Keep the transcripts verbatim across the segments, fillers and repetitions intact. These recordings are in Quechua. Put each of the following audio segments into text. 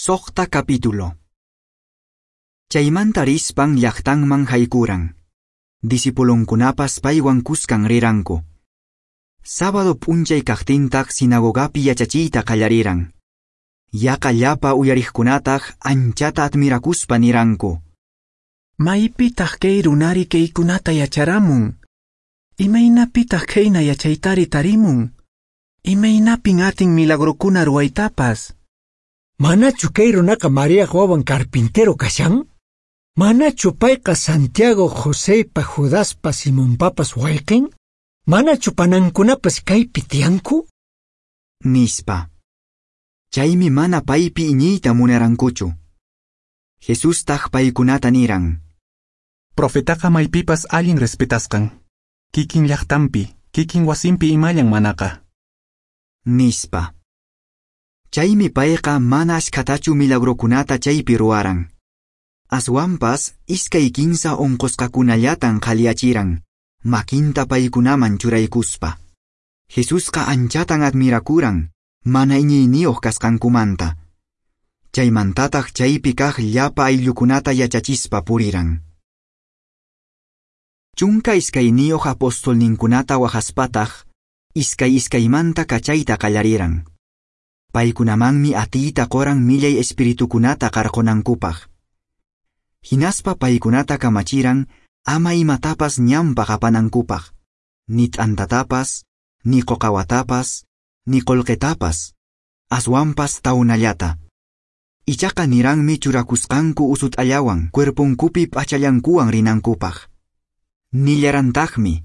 Suqta capítulo. Chaymanta rispan llaqtanman haykuran. Discipulonkunapas paywan kuskan riranku. Sábado p'unchay kaqtintaq sinagogapi yachachiyta qallariran. Yaqa llapa uyariqkunataq anchata admirakuspa niranku. Maypitaq kay runari kaykunata yacharamun? Imaynapitaq khayna yachaytari tarimun? Imaynapin atin milagrokuna ruwaytapas? Manachu kay runaqa Mariaq wawan carpintero kashan? Manachu payqa Santiago, Josepa, Judaspa, Simonpapas wayqin? Manachu panankunapas kaypi tiyanku? Nispa. Chaymi mana paypi iñiyta munarankuchu. Jesustaq paykunata niran. Profetaqa maypipas allin respetasqan. Kikin llaqtanpi, kikin wasinpi imallan manaqa. Nispa. Chaymi payqa mana ashkhatachu milagrokunata chaypi ruwaran. Aswanpas iskay kinsa unqusqakunallatan qhaliyachiran, makinta paykunaman churaykuspa. Jesusqa anchatan admirakuran, mana iñiyniyuq kasqankumanta. Chaymantataq chaypi kaq llapa ayllukunata yachachispa puriran. Chunka iskayniyuq apostolninkunata wajaspataq, iskay iskaymanta kachayta qallariran. Paykunamanmi atiyta quran millay espiritukunata qarqunankupaq. Hinaspa paykunata kamachiran ama imatapas ñanpaq apanankupaq, ni t'antatapas, ni quqawatapas, ni qullqitapas, aswanpas tawnallata. Ichaqa niranmi churakusqanku usut'allawan cuerponkupi p'achallankuwan rinankupaq. Nillarantaqmi.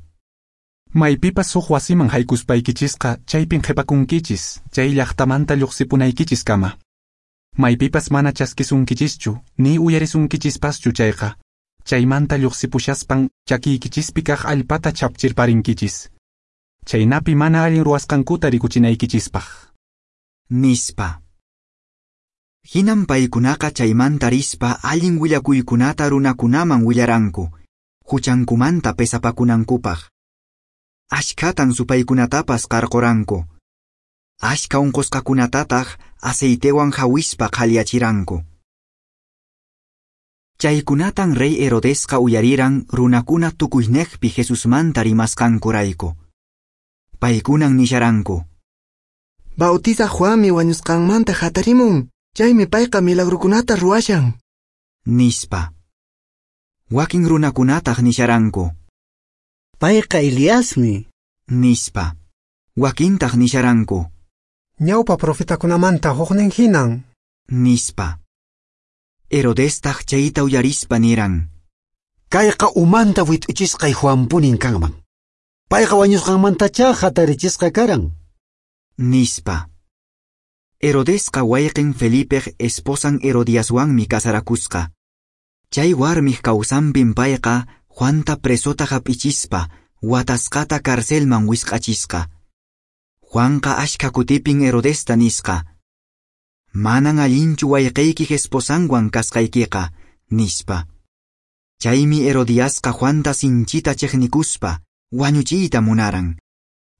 Maypipas huk wasiman haykuspaykichisqa chaypin qhipakunkichis, chay llaqtamanta lluqsipunaykichiskama. Maypipas mana chaskisunkichischu, ni uyarisunkichispaschu chayqa, chaymanta lluqsipushaspan chakiykichispi kaq allpata chapchirparinkichis. Chaynapi mana allin ruwasqankuta rikuchinaykichispaq. Nispa. Hinan paykunaqa chaymanta rispa allin willakuykunata runakunaman willaranku, huchankumanta pesapakunankupaq. Ashkhatan supaykunatapas qarquranku. Ashkha unqusqakunatataq aceitewan hawispa qhaliyachiranku. Chaykunatan rey Herodesqa uyariran runakuna tukuyniqpi Jesusmanta rimasqankurayku. Paykunan nisharanku. Bautizaq Juanmi wañusqanmanta hatarimun, chaymi payqa milagrokunata ruwashan. Nispa. Wakin runakunataq nisharanku. Payqa Eliasmi. Nispa. Wakintaq nisharanku. Ñawpa profetakunamanta huknin hinan. Nispa. Herodestaq chayta uyarispa niran. Kayqa umanta wit'uchisqay Juanpunin kanman. Payqa wañusqanmantachá hatarichisqa karan. Nispa. Herodesqa wayqin Felipeq esposan Herodiaswanmi casarakusqa. Chay warmiq kawsanpin payqa Juanta presota hap'ichispa watasqata carcelman wisq'achisqa. Juanqa ashkha kutipin Herodesta nisqa. Manan allinchu wayqiykiq esposanwan kasqaykiqa, nispa. Chaymi Herodiasqa Juanta sinchita chiqnikuspa wañuchiyta munaran.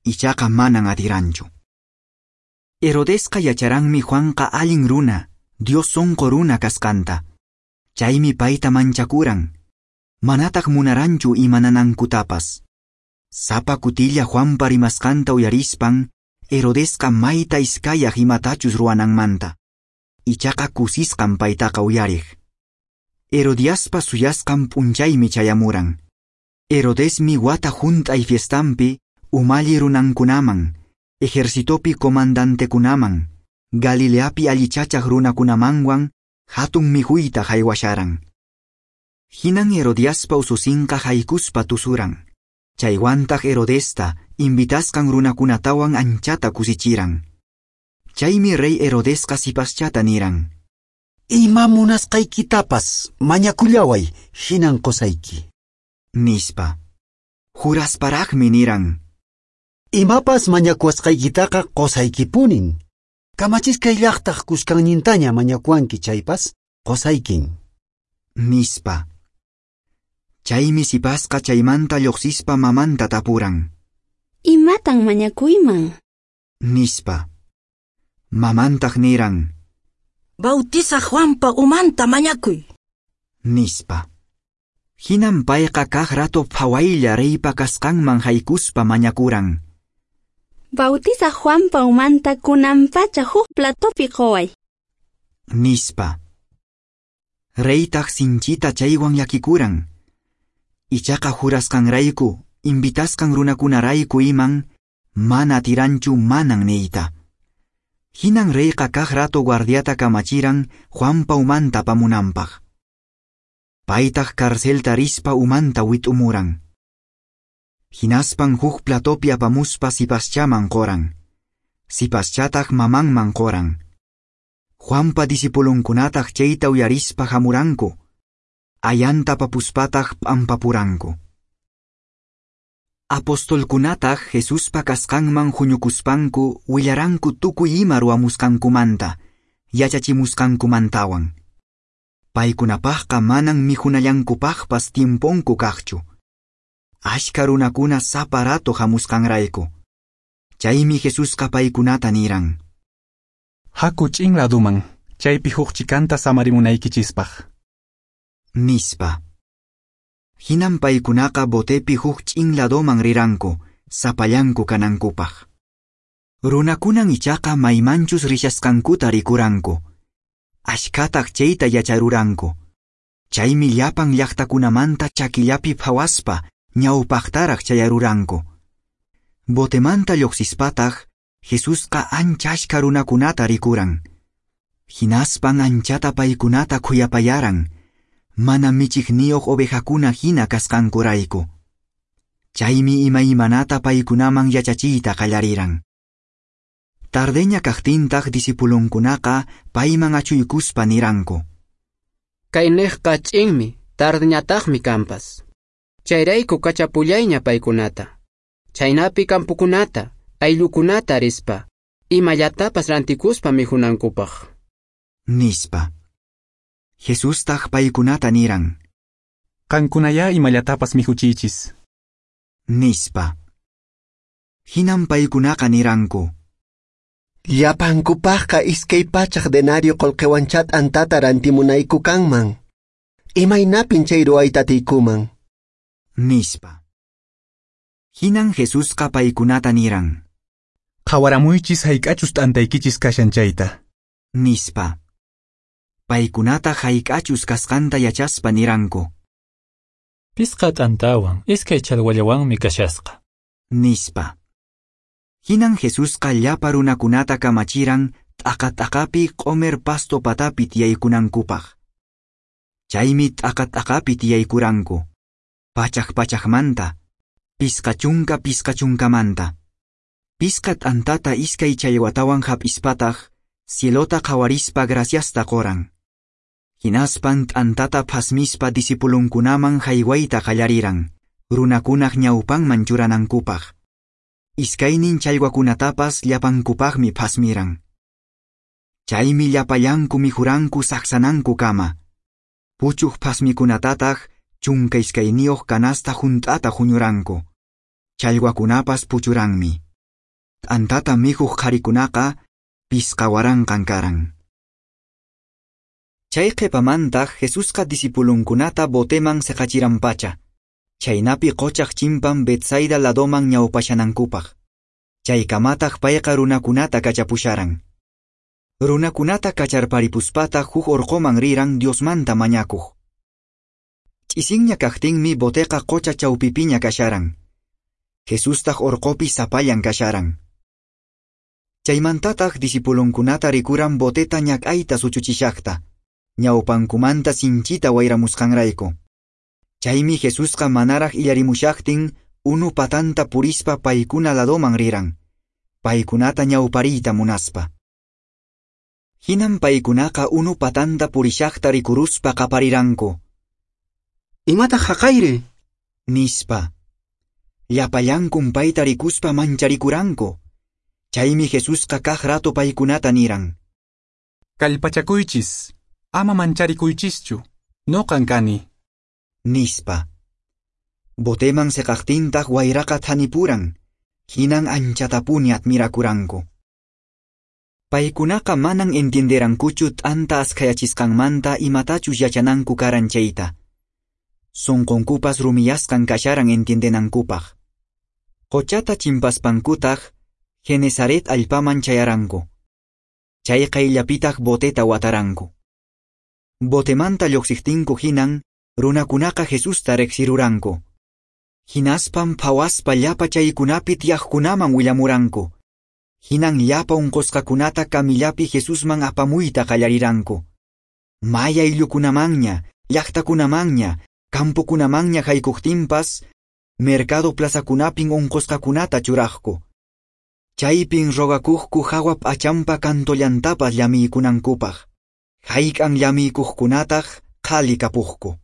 Ichaqa manan atiranchu. Herodesqa yacharanmi Juanqa allin runa, Dios sunqu runa kasqanta. Chaymi payta manchakuran. Manataq munaranchu imananankutapas. Sapa kutilla Juanpa rimasqanta uyarispan, Herodesqa mayta iskayaq imatachus ruwananmanta. Ichaqa kusisqan paytaqa uyariq. Herodiaspa suyasqan p'unchaymi chayamuran. Herodesmi wata hunt'ay fiestampi umalli runankunaman, ejercitopi comandantekunaman, Galileapi allichachaq runakunamanwan hatun mikhuyta haywasharan. Hinan Herodiaspa ususinqa haykuspa tusuran. Chaywantaq Herodesta invitasqan runakunatawan anchata kusichiran. Chaymi rey Herodesqa sipaschata niran. Ima munasqaykitapas mañakullaway, hinan qusayki. Nispa. Jurasparaqmi niran. Imapas mañakuwasqaykitaqa qusaykipunin. Kamachiskay llaqtaq kuskannintaña mañakuwanki chaypas qusaykin. Nispa. Chaymi sipasqa chaymanta lluqsispa mamanta tapuran. Imatan mañakuyman? Nispa. Mamantaq niran. Bautizaq Juanpa umanta mañakuy, nispa. Hinan payqa kaq rato phawaylla reypa kasqanman haykuspa mañakuran. Bautizaq Juanpa umanta kunanpacha huk platopi quway, nispa. Reytaq sinchita chaywan llakikuran. Ichaqa jurasqanrayku, invitasqan runakunarayku iman, mana atiranchu manan niyta. Hinan reyqa kaq rato guardiata kamachiran Juanpa umanta apamunanpaq. Paytaq carcelta rispa umanta wit'umuran. Hinaspan huk platopi apamuspa sipaschaman qoran. Sipaschataq mamanman qoran. Juanpa discipulunkunataq chayta uyarispa hamuranku. Ayanta apapuspataq p'ampapuranku. Apostolkunataq Jesuspa kasqanman huñukuspanku willaranku tukuy ima ruwamusqankumanta, yachachimusqankumantawan. Paykunapaqqa manan mikhunallankupaqpas tiemponku kaqchu. Ashka runakuna sapa rato hamusqanrayku. Chaymi Jesusqa paykunata niran: Haku ch'in laduman, chaypi huk chikanta samarimunaykichispaq, nispa. Hinan paykunaqa botepi huk ch'in ladoman riranku, sapallanku kanankupaq. Runakunan ichaqa maymanchus rishasqankuta rikuranku. Ashkataq chayta yacharuranku. Chaymi llapan llaqtakunamanta chakillapi phawaspa ñawpaqtaraq chayaruranku. Botemanta lluqsispataq Jesusqa ancha ashka runakunata rikuran. Hinaspan anchata paykunata khuyapayaran, mana michiqniyuq ovejakuna hina kasqankurayku. Chaymi imaymanata paykunaman yachachiyta qallariran. Tardeña kaqtintaq discipulunkunaqa payman achuykuspa niranku: Kayniqqa ch'inmi, tardeñataqmi kanpas. Chayrayku kachapullayña paykunata. Chaynapi kampukunata, ayllukunata rispa, imallatapas rantikuspa mikhunankupaq, nispa. Jesustaq paykunata niran: Qankunayá imallatapas mikhuchiychis, nispa. Hinan paykunaqa niranku: Llapankupaqqa iskay pachak denario qullqiwanchá t'antata rantimunayku kanman. Imaynapin chay ruwayta atiykuman, nispa. Hinan Jesusqa paykunata niran: Qhawaramuychis hayk'achus t'antaykichis kashan chayta, nispa. Paykunata hayk'achus kasqanta yachaspa niranku: Pisqa t'antawan, iskay challwallawanmi kashasqa, nispa. Hinan Jesusqa llapa runakunata kamachiran t'aqa-t'aqapi q'omer pasto patapi tiyaykunankupaq. Chaymi t'aqa-t'aqapi tiyaykuranku, pachak pachakmanta, pisqa chunka pisqa chunkamanta. Pisqa t'antata iskay challwatawan hap'ispataq cielota qhawarispa graciasta qoran. Hinaspan t'antata phasmispa discipulunkunaman haywayta qallariran, runakunaq ñawpanman churanankupaq. Iskaynin challwakunatapas llapankupaqmi phasmiran. Chaymi llapallanku mikhuranku saqsanankukama. Puchuq phasmikunatataq chunka iskayniyuq canasta hunt'ata huñuranku. Challwakunapas puchuranmi. T'antata mikhuq qharikunaqa pisqa waranqan karan. Chay qhipamantaq Jesusqa discipulunkunata boteman seqachiranpacha, chaynapi qochaq chimpan Betsaida ladoman ñawpashanankupaq. Chaykamataq payqa runakunata kachapusharan. Runakunata kacharparipuspataq huk orqoman riran Diosmanta mañakuq. Ch'isinña kaqtinmi boteqa qocha chawpipiña kasharan. Jesustaq orqopi sapallan kasharan. Chaymantataq discipulunkunata rikuran boteta ñak'ayta suchuchishaqta, ñawpankumanta sinchita wayramusqanrayku. Chaymi Jesusqa manaraq illarimushaqtin unu patanta purispa paykuna ladoman riran, paykunata ñawpariyta munaspa. Hinan paykunaqa unu patanta purishaqta rikuruspa qapariranku: Imataq haqayri, nispa. Llapallankun payta rikuspa mancharikuranku. Chaymi Jesusqa kaq rato paykunata niran: Kallpachakuychis, ama mancharikuychischu, noqan kani, nispa. Boteman seqaqtintaq wayraqa thanipuran, hinan anchatapuni admirakuranku. Paykunaqa manan entienderankuchu t'anta askhayachisqanmanta imatachus yachananku karan chayta. Sonqonkupas rumiyasqan kasharan entiendenankupaq. Qochata chimpaspankutaq Genesaret allpaman chayaranku. Chay qayllapitaq boteta wataranku. Botemanta lluqsiqtinku hinan runakunaqa Jesusta riqsiruranku. Hinaspan phawaspa llapa chaykunapi tiyaqkunaman willamuranku. Hinan llapa unqusqakunata kamillapi Jesusman apamuyta qallariranku. May ayllukunamanña, llaqtakunamanña, campokunamanña haykuqtinpas, mercado plazakunapin unqusqakunata churaqku. Chaypin rogakuqku hawa p'achanpa kantollantapas llamiykunankupaq. Hayk'an llamiykuqkunataq qhali kapuqku.